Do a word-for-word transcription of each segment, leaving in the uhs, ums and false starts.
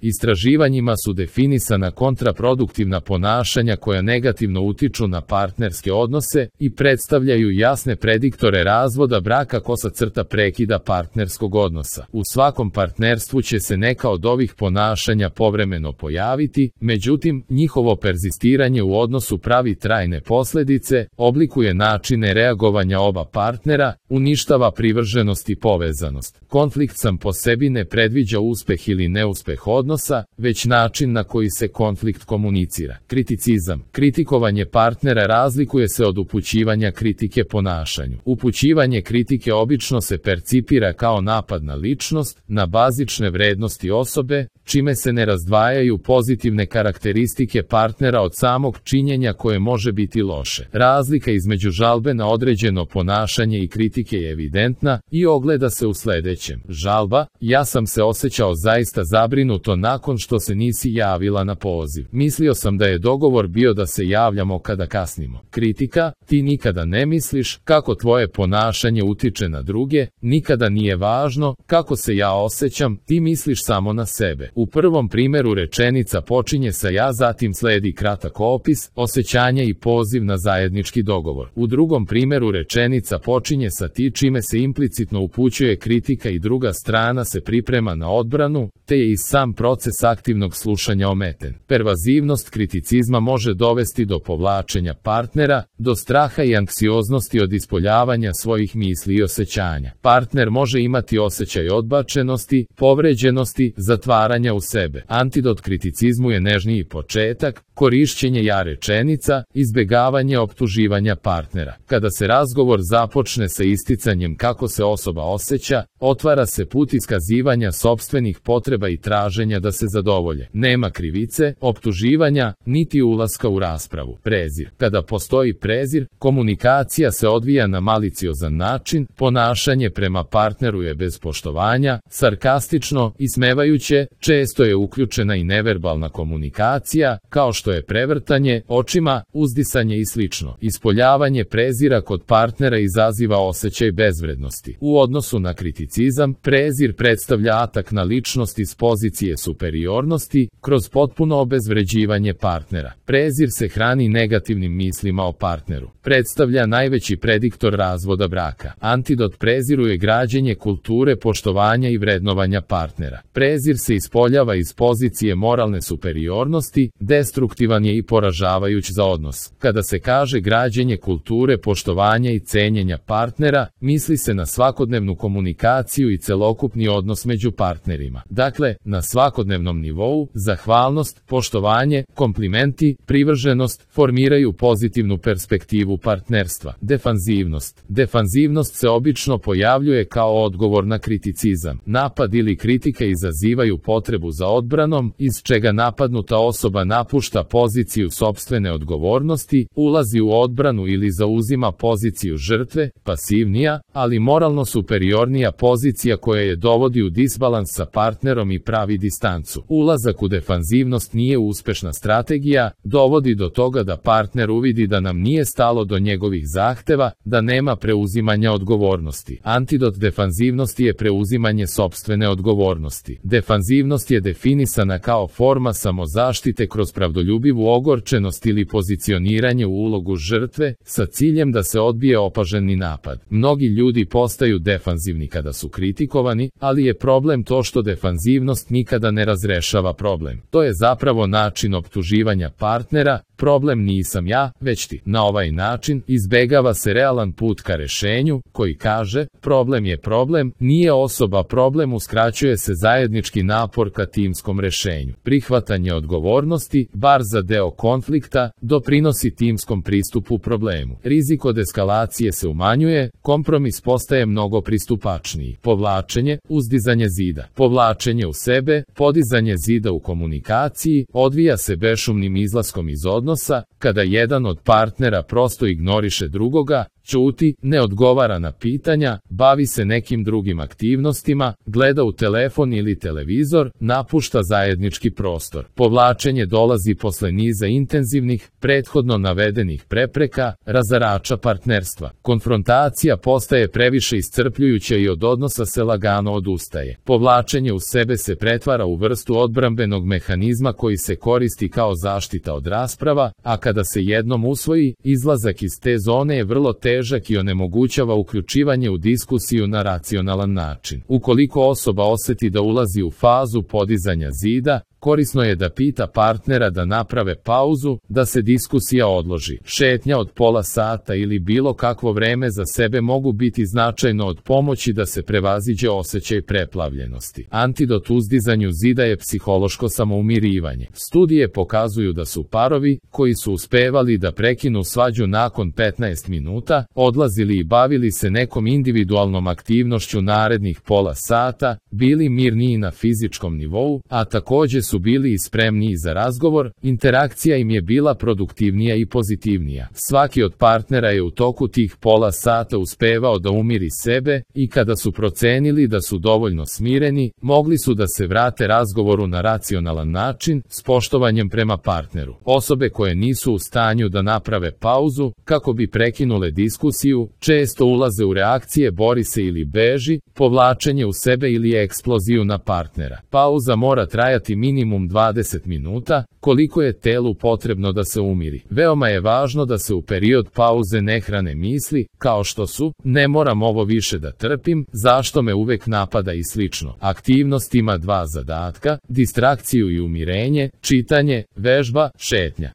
Istraživanjima su definisana kontraproduktivna ponašanja koja negativno utiču na partnerske odnose i predstavljaju jasne prediktore razvoda braka kosa crta prekida partnerskog odnosa. U svakom partnerstvu će se neka od ovih ponašanja povremeno pojaviti, međutim, njihovo perzistiranje u odnosu pravi trajne posljedice, oblikuje načine reagovanja oba partnera, uništava privrženost i povezanost. Konflikt sam po sebi ne predviđa uspeh ili neuspeh odnosa, već način na koji se konflikt komunicira. Kriticizam. Kritikovanje partnera razlikuje se od upućivanja kritike ponašanju. Upućivanje kritike obično se percipira kao napad na ličnost, na bazične vrednosti osobe, čime se ne razdvajaju pozitivne karakteristike partnera od samog činjenja koje može biti loše. Razlika između žalbe na određeno ponašanje i kritike je evidentna i ogleda se u sljedećem. Žalba: ja sam se osjećao zaista zabrinuto nakon što se nisi javila na poziv. Mislio sam da je dogovor bio da se javljamo kada kasnimo. Kritika: ti nikada ne misliš kako tvoje ponašanje utiče na druge, nikada nije važno kako se ja osjećam, ti misliš samo na sebe. U prvom primjeru rečenica počinje sa ja, zatim sledi kratak opis, osjećanja i poziv na zajednički dogovor. U drugom primjeru rečenica počinje sa ti, čime se implicitno upućuje kritika i druga strana se priprema na odbranu, te je i sam proces aktivnog slušanja ometen. Pervazivnost kriticizma može dovesti do povlačenja partnera, do straha i anksioznosti od ispoljavanja svojih misli i osjećanja. Partner može imati osjećaj odbačenosti, povređenosti, zatvaranja u sebe. Antidot kriticizmu je nežniji početak, korišćenje ja rečenica, izbjegavanje optuživanja partnera. Kada se razgovor započne sa isticanjem kako se osoba osjeća, otvara se put iskazivanja sopstvenih potreba i traženja da se zadovolje. Nema krivice, optuživanja, niti ulaska u raspravu. Prezir. Kada postoji prezir, komunikacija se odvija na maliciozan način, ponašanje prema partneru je bez poštovanja, sarkastično, ismevajuće, često je uključena i neverbalna komunikacija, kao što je prevrtanje očima, uzdisanje i slično. Ispoljavanje prezira kod partnera izaziva osjećaj bezvrednosti. U odnosu na kriticizam, prezir predstavlja atak na ličnost iz pozicije superiornosti, kroz potpuno obezvređivanje partnera. Prezir se hrani negativnim mislima o partneru. Predstavlja najveći prediktor razvoda braka. Antidot preziru je građenje kulture poštovanja i vrednovanja partnera. Prezir se ispoljava iz pozicije moralne superiornosti, destruktivan je i poražavajuć za odnos. Kada se kaže građenje kulture poštovanja i cenjenja partnera, misli se na svakodnevnu komunikaciju i celokupni odnos među partnerima. Dakle, na svakodnevnom nivou, zahvalnost, poštovanje, komplimenti, privrženost formiraju pozitivnu perspektivu partnerstva. Defanzivnost. Defanzivnost se obično pojavljuje kao odgovor na kriticizam. Napad ili kritika izazivaju potrebu za odbranom, iz čega napadnuta osoba napušta poziciju sopstvene odgovornosti, ulazi u odbranu ili zauzima poziciju žrtve, pasivnija, ali moralno superiornija pozicija koja je dovodi u disbalans sa partnerom i pravi distancu. Ulazak u defanzivnost nije uspešna strategija, dovodi do toga da partner uvidi da nam nije stalo do njegovih zahteva, da nema preuzimanja odgovornosti. Antidot defanzivnosti je preuzimanje sopstvene odgovornosti. Defanzivnost je definisana kao forma samozaštite kroz pravdoljubivu ogorčenost ili pozicioniranje u ulogu žrtve, sa ciljem da se odbije opaženi napad. Mnogi ljudi postaju defanzivni kada su kritikovani, ali je problem to što defanzivnost nikada ne razrešava problem. To je zapravo način optuživanja partnera, problem nisam ja, već ti. Na ovaj način izbegava se realan put ka rešenju, koji kaže, problem je problem, nije osoba problem, uskraćuje se zajednički napor ka timskom rešenju. Prihvatanje odgovornosti, bar za deo konflikta, doprinosi timskom pristupu problemu. Rizik od eskalacije se umanjuje, kompromis postaje mnogo pristupačniji. Povlačenje, uzdizanje zida. Povlačenje u sebe, podizanje zida u komunikaciji, odvija se bešumnim izlaskom iz odnosa, kada jedan od partnera prosto ignoriše drugoga, ćuti, ne odgovara na pitanja, bavi se nekim drugim aktivnostima, gleda u telefon ili televizor, napušta zajednički prostor. Povlačenje dolazi posle niza intenzivnih, prethodno navedenih prepreka, razarača partnerstva. Konfrontacija postaje previše iscrpljujuća i od odnosa se lagano odustaje. Povlačenje u sebe se pretvara u vrstu odbrambenog mehanizma koji se koristi kao zaštita od rasprava, a kada se jednom usvoji, izlazak iz te zone je vrlo težak i onemogućava uključivanje u diskusiju na racionalan način. Ukoliko osoba oseti da ulazi u fazu podizanja zida, korisno je da pita partnera da naprave pauzu, da se diskusija odloži. Šetnja od pola sata ili bilo kakvo vreme za sebe mogu biti značajno od pomoći da se prevaziđe osjećaj preplavljenosti. Antidot uzdizanju zida je psihološko samoumirivanje. Studije pokazuju da su parovi, koji su uspevali da prekinu svađu nakon petnaest minuta, odlazili i bavili se nekom individualnom aktivnošću narednih pola sata, bili mirniji na fizičkom nivou, a takođe su bili i spremniji za razgovor, interakcija im je bila produktivnija i pozitivnija. Svaki od partnera je u toku tih pola sata uspevao da umiri sebe i kada su procenili da su dovoljno smireni, mogli su da se vrate razgovoru na racionalan način, s poštovanjem prema partneru. Osobe koje nisu u stanju da naprave pauzu, kako bi prekinule diskusiju, često ulaze u reakcije bori se ili beži, povlačenje u sebe ili eksploziju na partnera. Pauza mora trajati minimum dvadeset minuta, koliko je telu potrebno da se umiri. Veoma je važno da se u period pauze ne hrane misli, kao što su, ne moram ovo više da trpim, zašto me uvek napada i slično. Aktivnost ima dva zadatka, distrakciju i umirenje, čitanje, vežba, šetnja.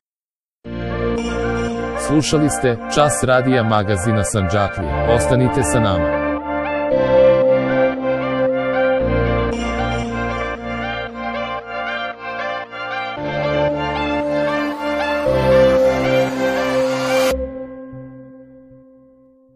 Slušali ste Čas radija magazina Sandžaklija. Ostanite sa nama.